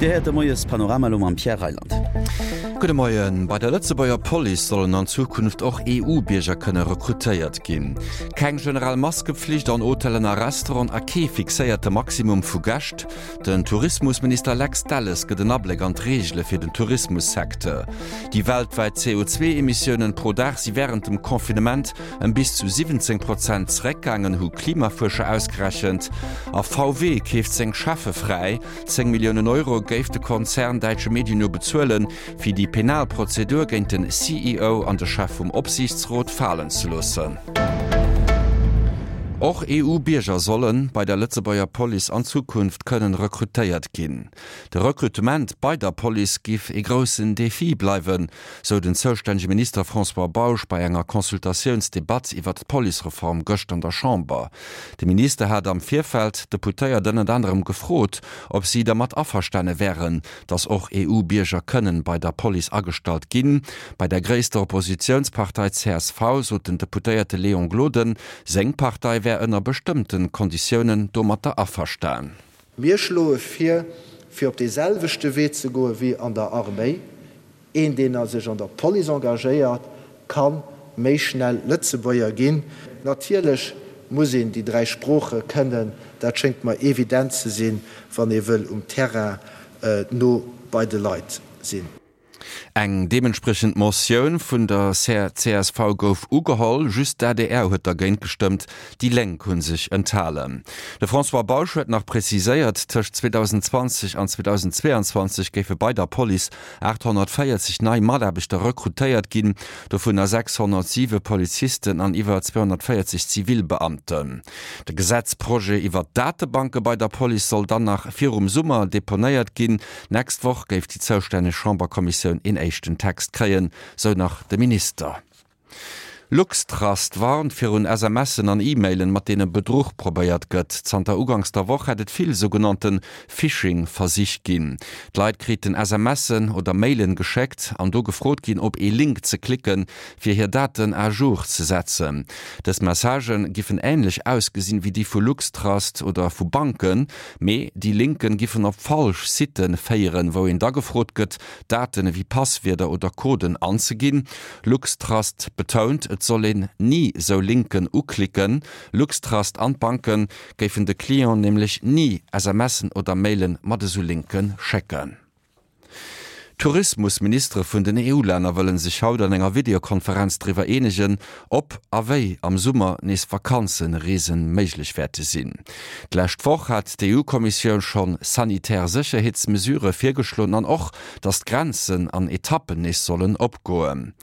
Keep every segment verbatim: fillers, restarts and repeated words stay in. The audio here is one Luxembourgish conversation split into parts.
Dir héiert de Moies-Panorama elo mam Pierre Reyland. Gudde Moien. Bei der Lëtzebuerger Police sollen an Zukunft och E U-Bierger kënne rekrutéiert ginn. Keng generell Maskepflicht an Hotellen a Restauranten a kee fixéierte Maximum vu Gäscht. Den Tourismusminister Lex Delles gëtt en Abléck an d'Reegele fir den Tourismussecteur. Déi weltwäit C O zwee Emissiounen pro Dag si wärend dem Confinement ëm bis zu siwwenzéng Prozent zeréckgaangen, hu Klimafuerscher ausgerechent. A V W keeft seng Cheffe fräi. Zéng Milliounen Euro géif de Konzern däitsche Medien no bezuelen, fir déi penal Prozedur géint den C E O an de Chef vum Opsiichtsrot falen ze loossen. Och E U-Bierger solle bei der Lëtzebuerger Police an Zukunft kënnen rekrutéiert ginn. De Rekrutement bei der Police giff ee groussen Defi bleiwen, sou den zoustännege Minister François Bausch bei enger Consultatiounsdebatt iwwert d'Policereform gëscht an der Chamber. De Minister hat am Virfeld d'Deputéiert ënnert anerem gefrot, ob si dermat averstane wären, datt och E U-Bierger kënnen bei der Police agestallt ginn. Bei der gréisster Oppositiounspartei C S V sot den Deputéierte Léon Gloden, seng Partei wär ënner bestëmmte Konditiounen domatter averstan. Mir schloe vir, fir op dee selwechte Wee ze goe wéi an der Arméi. Een, deen sech an der Police engagéiert, ka méi schnell Lëtzebuerger ginn. Natierlech muss een déi dräi Sprooche kënnen, dat schéngt mer evident ze sinn, wann ee wëll um Terrain no bei de Leit sinn. Eng deementspriechend Motioun vun der C S V gouf ugeholl, just d'A D R huet dergéint gestëmmt, déi Lénk hu sech enthalen. De François Bausch huet nach preziséiert, tëscht zweedausendzwanzeg an zweedausendzweeanzwanzeg géife bei der Police aathonnertvéierzeg nei Mataarbechter rekrutéiert ginn, dovunner sechshonnertsiwe Polizisten an iwwer zweehonnertvéierzeg Zivilbeamten. De Gesetzprojet iwwer d'Datebanke bei der Police soll dann nach virum Summer deponéiert ginn. D'nächst Woch géif déi zoustänneg Chamberkommissioun een éischten Text kréien, sou nach de Minister. LuxTrust warnt virun S M Sen an E-Mailen, mat deene Bedruch probéiert gëtt. Zanter uganks der Woch hätt et vill sougenannte Phishing-Versich ginn. D'Leit kriten S M Sen oder Mailen geschéckt an do gefrot ginn, op ee Link ze klicken, fir hir Daten à jour ze setzen. Dës Messagë giffen änlech ausgesinn wéi déi vu LuxTrust oder vu Banken, mee déi Linken giffen op falsch Siten féieren, wou een da gefrot gëtt, Daten ewéi Passwierder oder Coden anzeginn. LuxTrust betount, et soll een ni sou Linken uklicken. LuxTrust an d'Banke géifen de Clienten nämlech ni S M Sen oder Mailen mat esou Linke schécken. D'Tourismusministere vun den E U-Länner wëlle sech haut an enger Videokonferenz driwwer eenegen, ob a wéi am Summer nees Vakanzereese méiglech wäerte sinn. D'lescht Woch hat d'E U-Kommissioun schonn sanitär Sécherheetsmesurë virgeschloen an och, datt d'Grenzen an Etappen nees sollen opgoen.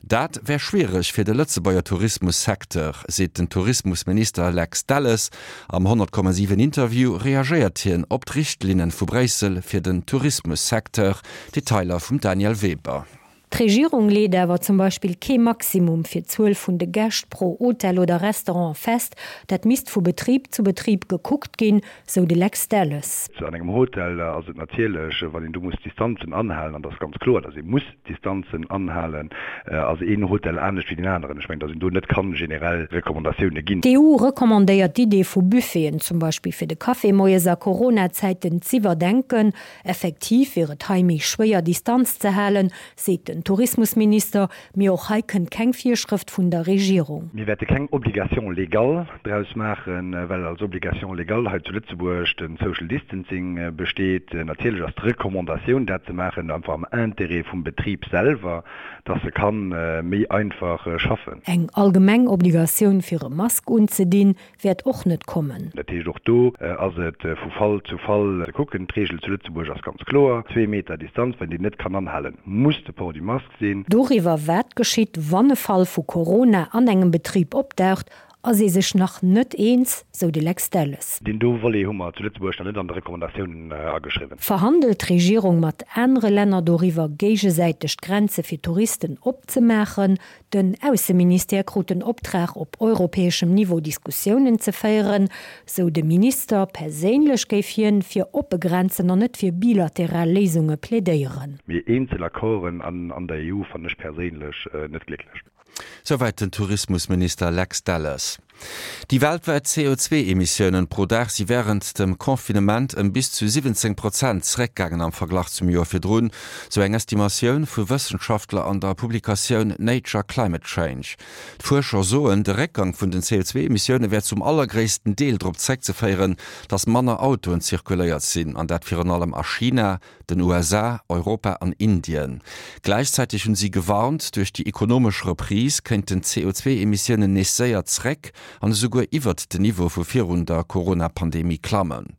Dat wär schwiereg fir de Lëtzebuerger Tourismussecteur, seet den Tourismusminister Lex Delles. Am honnert Komma siwen Interview reagéiert hien op d'Richtlinne vu Bréissel fir den Tourismussecteur. Detailer vum Danièle Weber. D'Regierung leet awer zum Beispill kee Maximum fir d'Zuel vun de Gäscht pro Hotel oder Restaurant fest. Dat misst vu Betrib zu Betrib gekuckt ginn, sou de Lex Delles. An engem Hotel ass et natierlech, wann een do muss Distanzen anhalen, an dat ass ganz kloer, datt ee muss Distanzen anhalen, ass een Hotel anescht wéi deen aneren. Ech mengen, datt een do net kann generell Recommandatioune ginn. D'E U recommandéiert d'Idee vu Buffeten, zum Beispill fir de Café moies a Corona-Zäiten z'iwwerdenken. Effektiv wier et hei méi schwéier Distanz ze halen, seet den Tourismusminister, mee och hei kënnt keng Virschrëft vun der Regierung. Mir wäerte keng Obligation légale draus maachen, well als Obligation légale hei zu Lëtzebuerg de Social Distancing besteet. Natierlech ass d'Recommandatioun, dat ze maachen, einfach am Interêt vum Betrib selwer, dass e ka méi einfach schaffen. Eng allgemeng Obligatioun fir e Mask unzedinn, wäert och net kommen. Dat heescht, och do ass et vu Fall zu Fall ze kucken. D'Reegel zu Lëtzebuerg ass ganz kloer, zwee Meter Distanz, wann een déi net kann anhalen, muss de Port du masque sinn. Doriwwer, wat geschitt, wann e Fall vu Corona an engem Betrib opdaucht, ass ee sech nach net eens, sou de Lex Delles. Deen do Volet hu mer zu Lëtzebuerg nach net an de Recommandatiounen ageschriwwen. Verhandelt d'Regierung mat anere Länner doriwwer, géigesäiteg d'Grenze fir Touristen opzemaachen? Den Ausseministère krut den Optrag, op europäeschem Niveau Diskussiounen ze féieren, sou de Minister. Perséinlech géif hien fir oppe Grenzen an net fir bilateral Léisunge plädéieren. Mee eenzel Accorden an der E U fannen ech perséinlech net glécklech. Souwäit den Tourismusminister Lex Delles. Déi weltwäit C O zwee Emissiounen pro Dag si wärend dem Confinement ëm bis zu siwwenzéng Prozent zeréckgaangen am Verglach zum Joer virdrun, sou eng Estimatioun vu Wëssenschaftler an der Publikatioun Nature Climate Change. D'Fuerscher soen, de Réckgang vun den C O zwee Emissioune wär zum allergréissten Deel drop zeréckzeféieren, datt manner Autoen zirkuléiert sinn, an dat virun allem a China, den U S A, Europa an Indien. Gläichzäiteg hunn si gewarnt, duerch déi ekonomesch Reprise kéinten d'C O zwee Emissiounen nees séier zeréck an esouguer iwwert den Niveau vu virun der Corona-Pandemie klammen.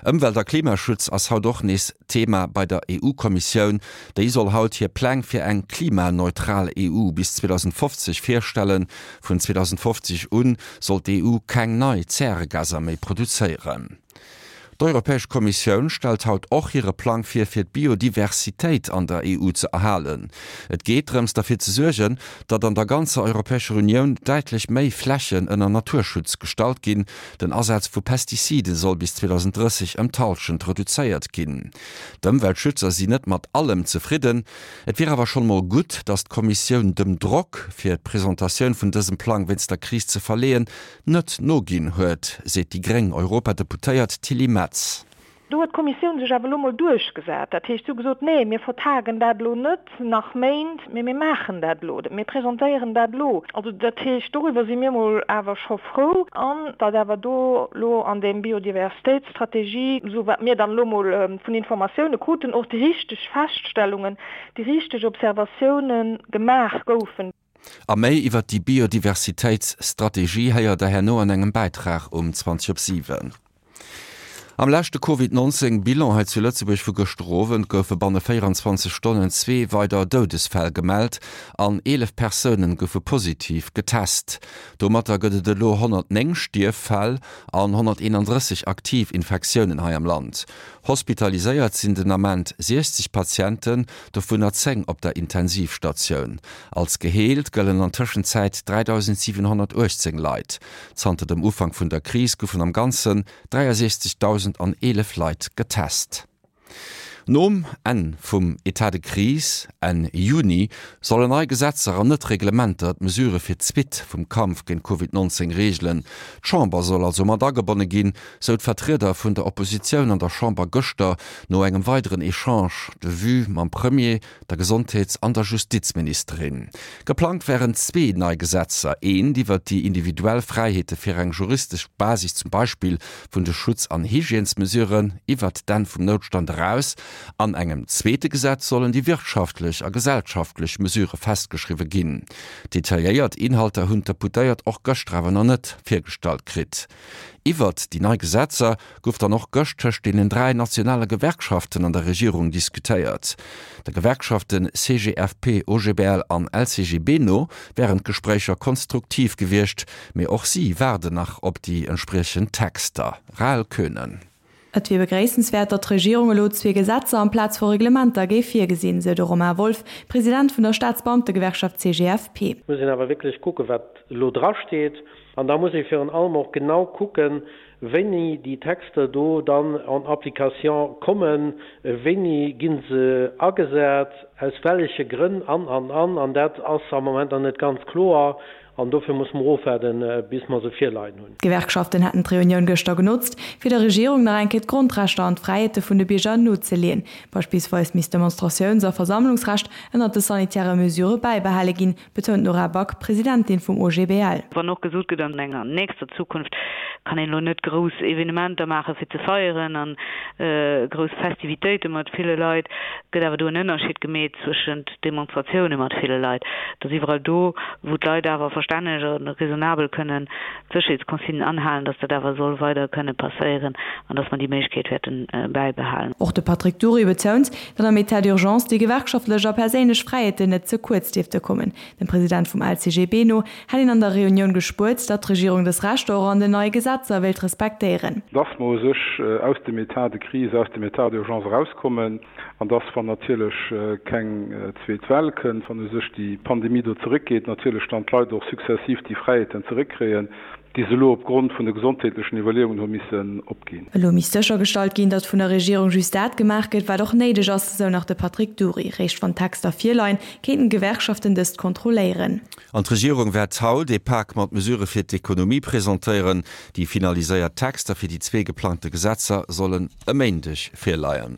Ëmwelt a Klimaschutz ass haut och nees Thema bei der E U-Kommissioun. Déi soll haut hir Pläng fir eng klimaneutral E U bis zweedausendfofzeg virstellen. Vun zweedausendfofzeg un soll d'E U keng nei Zäregaser méi produzéieren. D'Europäesch Kommissioun stellt haut och hire Plang vir, fir d'Biodiversitéit an der E U ze erhalen. Et geet drëms, derfir ze suergen, datt an der ganzer Europäescher Unioun däitlech méi Flächen ënner Naturschutz gestallt ginn. Den Asaz vu Pestizide soll bis zweedausendrësseg ëm d'Hallschent reduzéiert ginn. D'Ëmweltschützer sinn net mat allem zefridden. Et wier awer schonn emol gutt, datt d'Kommissioun dem Drock, fir d'Presentatioun vun dësem Plang wéinst der Kris ze verleeën, net noginn huet, seet déi gréng Europadeputéiert Tilly Metz. Do huet d'Kommissioun sech awer elo mol duerchgesat. Dat heescht, si hu gesot, Nee, mir vertagen dat elo net nach Méint, mee mir maachen dat elo, mir presentéieren dat elo. Also dat heescht, doriwwer si mir mol awer scho frou. An datt awer do elo an deem Biodiversitéitsstrategie, esou wat mir dann elo mol vun Informatioune kruten, och déi richteg Feststellungen, déi richteg Observatioune gemaach goufen. A méi iwwer déi Biodiversitéitsstrategie héiert der herno an engem Bäitrag um zwanzeg op siwen. Am leschte Covid neunzéng Bilan hei zu Lëtzebuerg vu gëschter Owend goufe banne véieranzwanzeg Stonnen zwee weider Doudesfäll gemellt an eelef Persounen goufe positiv getest. Domatter gëtt et elo honnertnéng Stierffäll an honnerteenandrësseg aktiv Infektiounen hei am Land. Hospitaliséiert sinn den Ament siechzeg Patienten, dovunner zéng op der Intensivstatioun. Als geheelt gëllen an Tëschenzäit dräidausentsiwenhonnertuechtzéng Leit. Zanter dem Ufank vun der Kris goufen am Ganzen dräiasechzegdausenteelef Leit getest. Nom Enn vum Etat de crise Enn Juni sollen nei Gesetzer an net Reglementer d'Mesurë fir d'Suite vum Kampf géint Covid neunzéng reegelen. D'Chamber soll also mat agebonne ginn, sou d'Vertrieder vun der Oppositioun an der Chamber gëschter no engem weideren Echange de vues mam Premier, der Gesondheets an der Justizministerin. Geplangt wären zwee nei Gesetzer, eent iwwer déi individuell Fräiheete fir eng juristesch Basis zum Beispill vun de Schutz an Hygiènesmesuren iwwert d'Enn vum Noutstand eraus. An engem zweete Gesetz sollen déi wirtschaftlech a gesellschaftlech Mesurë festgeschriwwe ginn. Detailléiert Inhalter hunn d'Deputéiert och gëschter awer nach net virgestallt kritt. Iwwert déi nei Gesetzer gouf dann och gëscht tëscht deenen dräi nationale Gewerkschaften an der Regierung diskutéiert. De Gewerkschafte C G F P, O G B L an L C G B no wären d'Gespréicher konstruktiv gewiescht, mee och si waarden nach op déi entspriechend Texter. Rahel Koenen. Et wier begréissenswäert, datt d'Regierung elo zwee Gesetzer amplaz vu Reglementer géif virgesinn, sou de Romain Wolff, President vun der Staatsbeamtegewerkschaft C G F P. Muss een awer wierklech kucken, wat elo drasteet. An da muss ee virun allem och genau kucken, wéini déi Texter do dann en application kommen, wéini gi se agesat, aus welleche Grënn an, an, an. An dat ass am Moment nach net ganz kloer. An dofir muss mer ofwaarden, bis mer se virleien hunn. D'Gewerkschaften hätten d'Reunioun gëschter genotzt, fir der Regierung nach eng Kéier d'Grondrechter an d'Fräiheete vun de Bierger nozeleeën. Beispillsweis misst d'Demonstratiouns a Versammlungsrecht ënnert de sanitäre Mesurë bäibehale ginn, betount d'Nora Back, Presidentin vum O G B L. Wann och gesot gëtt, an enger nächster Zukunft kann een elo net grouss Evenementer maache fir ze feieren an grouss Festivitéite mat ville Leit, gëtt awer do en Ënnerscheed gemeet zwëschent Demonstratioune mat ville Leit, dass iwwerall do, wou d'Leit awer verstänneg a raisonnabel kënnen d'Sécherheetsconsignen anhalen, dass dat awer soll weider kënne passéieren an dass mer déi Méiglechkeet wäerte bäibehalen. Och de Patrick Dury betount, datt am État d'urgence déi gewerkschaftlech a perséinlech Fräiheeten net ze kuerz dierfte kommen. Dem President vum L C G B no hätt een an der Reunioun gespuert, datt d'Regierung dës Rechter och an den neie Gesetzer wéilt respektéieren. Dass mer u sech aus dem État de crise, aus dem État d'urgence erauskommen an dass, wann natierlech keng zweet Well kënnt, wann u sech déi Pandemie do zeréckgeet, natierlech dann d'Leit och sukzessiv déi Fräiheeten zeréckkréien. déi se elo opgrond vun de gesondheetlechen Iwwerleeungen hu missen opginn. Elo misst séchergestallt ginn, datt vun der Regierung just dat gemaach gëtt, wat och néideg ass, esou nach de Patrick Dury. Réischt wann d'Texter virleien, kéinten d'Gewerkschaften dëst kontrolléieren. An d'Regierung wäert haut ee Pak mat Mesurë fir d'Ekonomie presentéieren. Déi finaliséiert Texter fir déi zwee geplangte Gesetzer sollen e Méindeg virleien.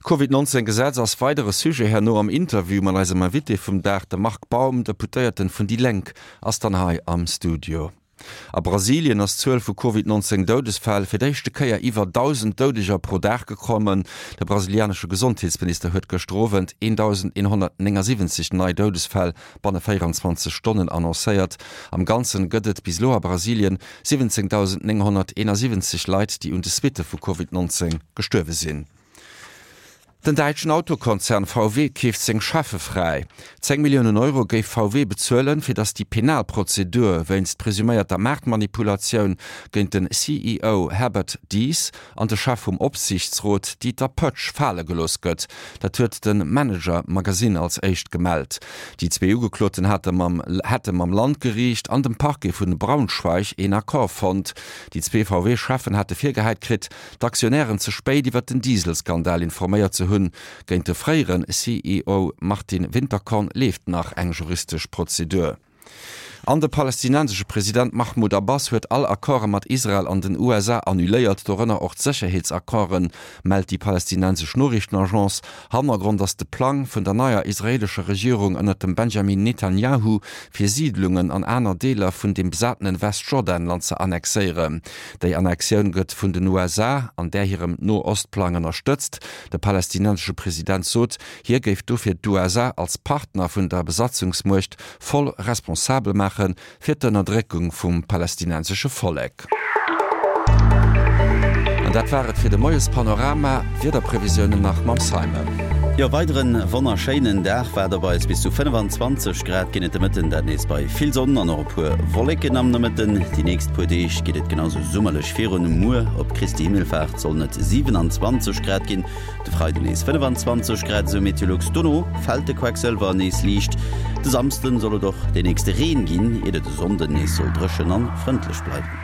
D'Covid nonzéng Gesetz ass weidere Sujet herno am Interview mat eisem Invité vum Dag, de Marc Baum, Deputéierten vun déi Lénk ass dann hei am Studio. A Brasilien ass d'Zuel vu Covid nonzéng Doudesfäll fir d'éischte Kéier iwwer dausend Doudeger pro Dag geklommen. De brasilianesche Gesondheetsminister huet gëschter Owend een dausend eenhonnertnéngasiwwenzeg nei Doudesfäll banne véierenzwanzeg Stonnen annoncéiert. Am Ganzen gëtt et bis elo a Brasilien siwwenzéngdausend nénghonnerteenasiwwenzeg Leit, déi un de Suitte vu Covid nonzéng gestuerwe sinn. Den däitschen Autokonzern V W keeft seng Cheffe fräi. Zéng Milliounen Euro géif V W bezuelen, fir datt déi penal Prozedur wéinst presuméierter Maartmanipulatioun géint den C E O Herbert Diess an de Chef vum Opsiichtsrot Dieter Pötsch fale gelooss gëtt. Dat huet de Manager Magazin als éischt gemellt. Déi zwee Ugekloten hate mam hätte mam Landgeriicht an dem Parquet vun Braunschweig een Accord fonnt. Déi zwee V W-Cheffen hate virgehäit kritt, d'Aktionären ze spéit iwwer den Dieselskandal informéiert ze hunn. Géint de fréiere C E O Martin Winterkorn leeft nach eng juristesch Prozedur. An de palästinensesche President Mahmoud Abbas huet all Accorde mat Israel an den U S A annuléiert, dorënner och d'Sécherheetsaccorden, mellt déi palästinensesch Noriichtenagence. Hannergrond ass de Plang vun der neier israeelescher Regierung ënner dem Benjamin Netanjahu, fir Siidlungen an aner Deeler vun dem besatene Westjordanland ze annexéieren. Déi Annexioun gëtt vun den U S A an där hirem No-Ost-Plang ënnerstëtzt. De palästinensesche President sot, hie géif dofir d'U S A als Partner vun der Besatzungsmuecht voll responsabel maache fir d'Ënnerdréckung vum palästinensesche Vollek. An dat war et fir de Moiespanorama. D'Wiederprevisiounen nach mam Simon. Jo, weideren wonnerschéinen Dag waart op eis. Bis zu fënnefanzwanzeg Grad ginn et de Mëtten, dat nees bei vill Sonn an och e puer Wolleken am Nomëtten. Déi nächst puer Deeg geet et genau sou summerlech virun. Muer op Christi Himmelfaart sollen et siewenanzwanzeg Grad ginn, de Freiden nees fënnefanzwanzeg Grad, esou Meteolux. Dono fält de Quecksëlwer nees liicht. De Samsden soll et och deen nächste Reen ginn, iert et e Sonnden nees soll dréchen an frëndlech bleiwen.